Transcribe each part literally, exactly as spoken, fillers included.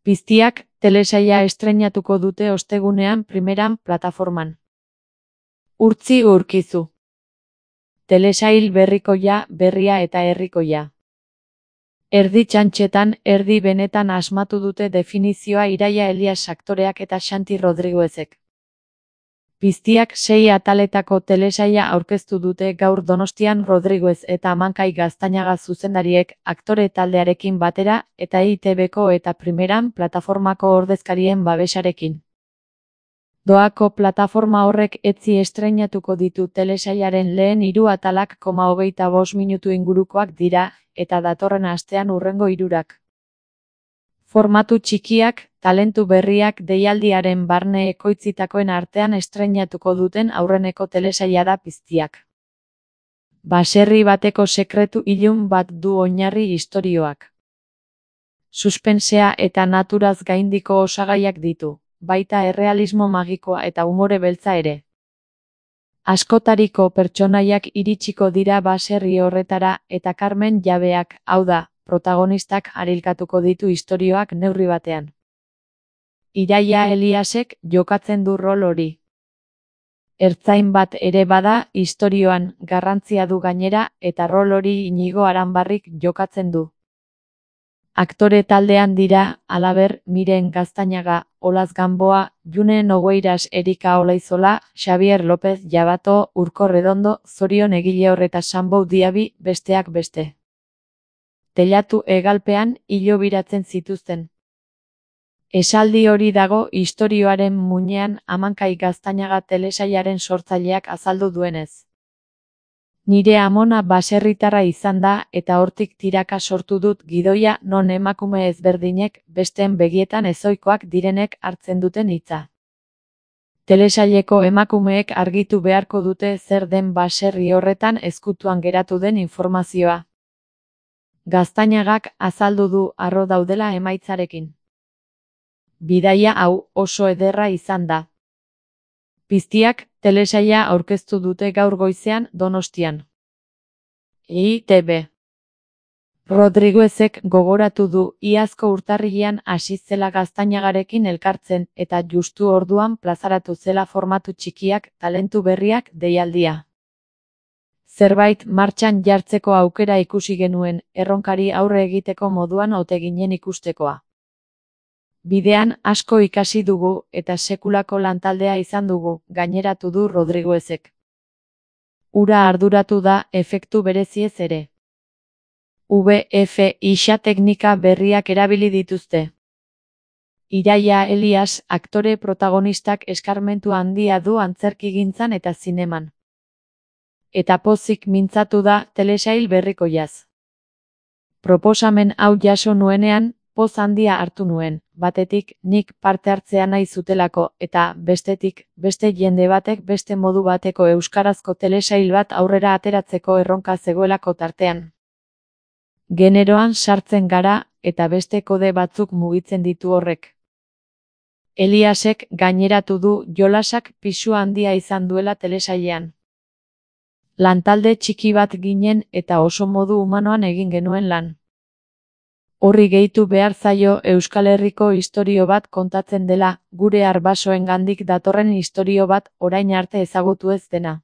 Piztiak telesaila estreinatuko dute ostegunean primeran plataforman. Urtzi Urkizu. Telesail berrikoia, berria eta herrikoia. Erdi txantxetan, erdi benetan asmatu dute definizioa Iraia Elias aktoreak eta Xanti Rodriguezek. Piztiak sei ataletako telesaila aurkeztu dute gaur Donostian Rodriguez eta Amankai Gaztañaga zuzendariek aktore taldearekin batera eta E I Te Beko eta primeran plataformako ordezkarien babesarekin. Doako plataforma horrek etzi estreinatuko ditu telesailaren lehen hiru atalak koma hogeita bost minutu ingurukoak dira, eta datorren astean hurrengo hirurak. Formatu txikiak, talentu berriak deialdiaren barne ekoitzitakoen artean estreinatuko duten aurreneko telesaila da Piztiak. Baserri bateko sekretu ilun bat du oinarri istorioak. Suspensea eta naturaz gaindiko osagaiak ditu, baita errealismo magikoa eta umore beltza ere. Askotariko pertsonaiak iritsiko dira baserri horretara eta Carmen jabeak, hau da, protagonistak harilkatuko ditu istorioak neurri batean. Iraia Eliasek jokatzen du rol hori. Ertzain bat ere bada istorioan, garrantzia du gainera, eta rol hori Inigo Aranbarrik jokatzen du. Aktore taldean dira, halaber, Miren Gaztañaga, Olaz Gamboa, June Nogueiras Erika Olaizola, Xabier López Jabato, Urko Redondo, Zorion Egileor eta Sanbou Diabi, besteak beste. Telatu hegalpean hilo biratzen zituzten. Esaldi hori dago istorioaren muinean Amankai Gaztañaga telesailaren sortzaileak azaldu duenez. Nire amona baserritarra izan da eta hortik tiraka sortu dut gidoia non emakume ezberdinek besteen begietan ezohikoak direnek hartzen duten hitza. Telesaileko emakumeek argitu beharko dute zer den baserri horretan ezkutuan geratu den informazioa. Gaztañagak azaldu du harro daudela emaitzarekin. Bidaia hau oso ederra izan da. Piztiak telesaila aurkeztu dute gaur goizean Donostian. E I Te Be. Rodriguezek gogoratu du iazko urtarrilean hasi zela Gaztañagarekin elkartzen eta justu orduan plazaratu zela formatu txikiak, talentu berriak deialdia. Zerbait martxan jartzeko aukera ikusi genuen, erronkari aurre egiteko moduan ote ginen ikustekoa. Bidean asko ikasi dugu eta sekulako lantaldea izan dugu, gaineratu du Rodriguezek. Ura arduratu da efektu bereziez ere. V F X teknika berriak erabili dituzte. Iraia Elias aktore protagonistak eskarmentu handia du antzerkigintzan eta zineman. Eta pozik mintzatu da telesail berrikoiaz. Proposamen hau jaso nuenean, poz handia hartu nuen, batetik nik parte hartzea nahi zutelako eta bestetik beste jende batek beste modu bateko euskarazko telesail bat aurrera ateratzeko erronka zegoelako tartean. Generoan sartzen gara eta beste kode batzuk mugitzen ditu horrek. Eliasek gaineratu du jolasak pisu handia izan duela telesailean. Lantalde txiki bat ginen eta oso modu humanoan egin genuen lan. Horri gehitu behar zaio Euskal Herriko istorio bat kontatzen dela, gure arbasoengandik datorren istorio bat orain arte ezagutu ez dena.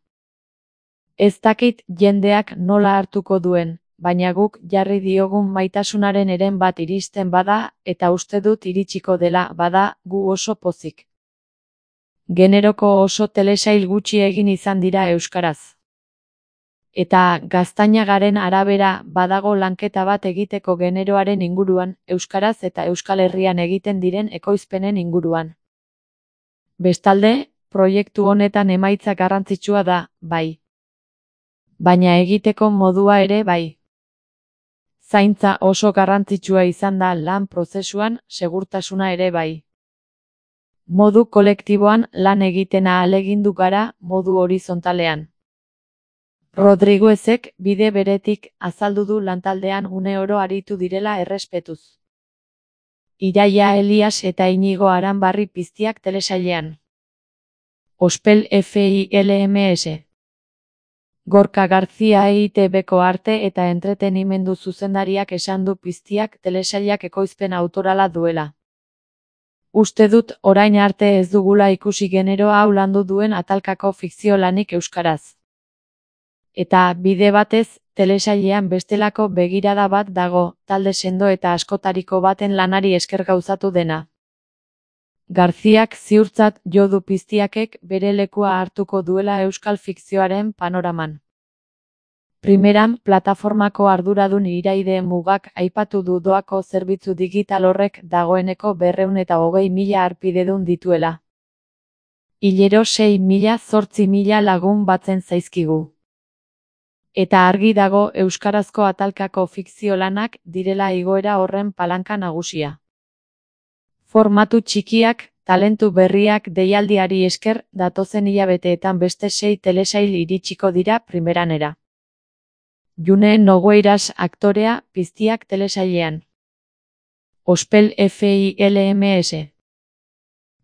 Ez dakit jendeak nola hartuko duen, baina guk jarri diogun maitasunaren eren bat iristen bada eta uste dut iritsiko dela bada gu oso pozik. Generoko oso telesail gutxi egin izan dira euskaraz. Eta Gaztañagaren arabera badago lanketa bat egiteko generoaren inguruan, euskaraz eta Euskal Herrian egiten diren ekoizpenen inguruan. Bestalde, proiektu honetan emaitza garrantzitsua da, bai. Baina egiteko modua ere bai. Zaintza oso garrantzitsua izan da lan prozesuan, segurtasuna ere bai. Modu kolektiboan lan egiten ahalegindu gara modu horizontalean. Rodriguezek bide beretik azaldu du lantaldean une oro aritu direla errespetuz. Iraia Elias eta Inigo Aranbarri Piztiak telesailean. Ospel F I L M S. Gorka Garzia E I Te Beko arte eta entretenimendu zuzendariak esan du Piztiak telesailak ekoizpen autorala duela. Uste dut orain arte ez dugula ikusi genero hau landu duen atalkako fikzio lanik euskaraz. Eta, bide batez, telesailean bestelako begirada bat dago, talde sendo eta askotariko baten lanari esker gauzatu dena. Garziak ziurtzat jo du Piztiakek bere lekua hartuko duela euskal fikzioaren panoraman. Primeran, plataformako arduradun Iraide Mugak aipatu du doako zerbitzu digital horrek dagoeneko berrehun eta hogei mila harpidedun dituela. Hilero sei mila zortzi mila lagun batzen zaizkigu. Eta argi dago euskarazko atalkako fikzio lanak direla igoera horren palanka nagusia. Formatu txikiak, talentu berriak deialdiari esker datozen hilabeteetan beste sei telesail iritsiko dira primeranera. June Nogueiras aktorea, Piztiak telesailean. Ospel Films.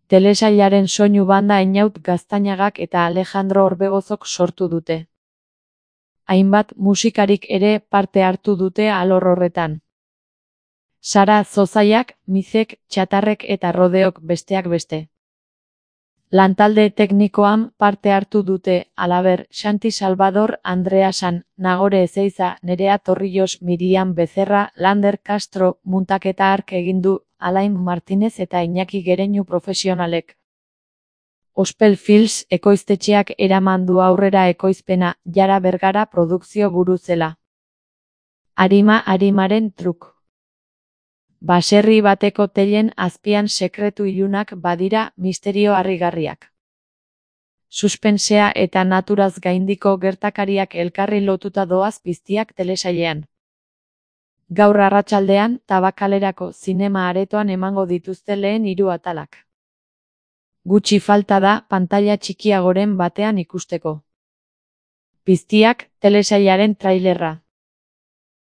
Telesailaren soinu banda Einaut Gaztañagak eta Alejandro Orbegozok sortu dute. Hainbat musikarik ere parte hartu dute alor horretan. Sara Zozaiak, Mizek, Txatarrek eta Rodeok besteak beste. Lantalde teknikoan parte hartu dute, halaber, Xanti Salvador, Andrea San, Nagore Ezeiza, Nerea Torrillos, Miriam Becerra, Lander Castro, muntaketa hark egin du, Alain Martinez eta Iñaki Gereñu profesionalek. Ospel Films ekoiztetxeak eraman du aurrera ekoizpena, Jara Bergara produkzio buruzela. Arima arimaren truk. Baserri bateko teilen azpian sekretu ilunak badira misterio harrigarriak. Suspensea eta naturaz gaindiko gertakariak elkarri lotuta doaz Piztiak telesailean. Gaur arratsaldean, Tabakalerako zinema aretoan emango dituzte lehen hiru atalak. Gutxi falta da pantaila txikiagoren batean ikusteko. Piztiak telesailaren trailerra.